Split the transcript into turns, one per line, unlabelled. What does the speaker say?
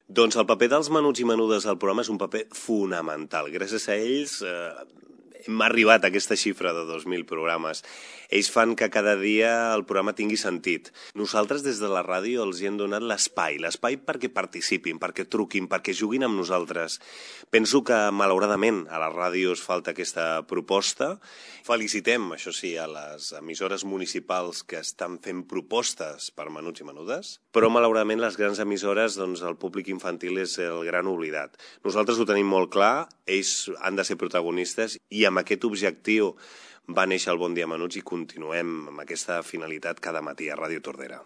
Doncs el paper dels menuts i menudes al programa és un paper fonamental. Gràcies a ells hem arribat a aquesta xifra de 2.000 programes. Ells fan que cada dia el programa tingui sentit. Nosaltres des de la ràdio els hi hem donat l'espai perquè participin, perquè truquin, perquè juguin amb nosaltres. Penso que malauradament a la ràdio es falta aquesta proposta. Felicitem, això sí, a les emissores municipals que estan fent propostes per menuts i menudes, però malauradament les grans emissores, doncs el públic infantil és el gran oblidat. Nosaltres ho tenim molt clar, ells han de ser protagonistes i amb aquest objectiu va néixer el Bon Dia Menuts i continuem amb aquesta finalitat cada matí a Ràdio Tordera.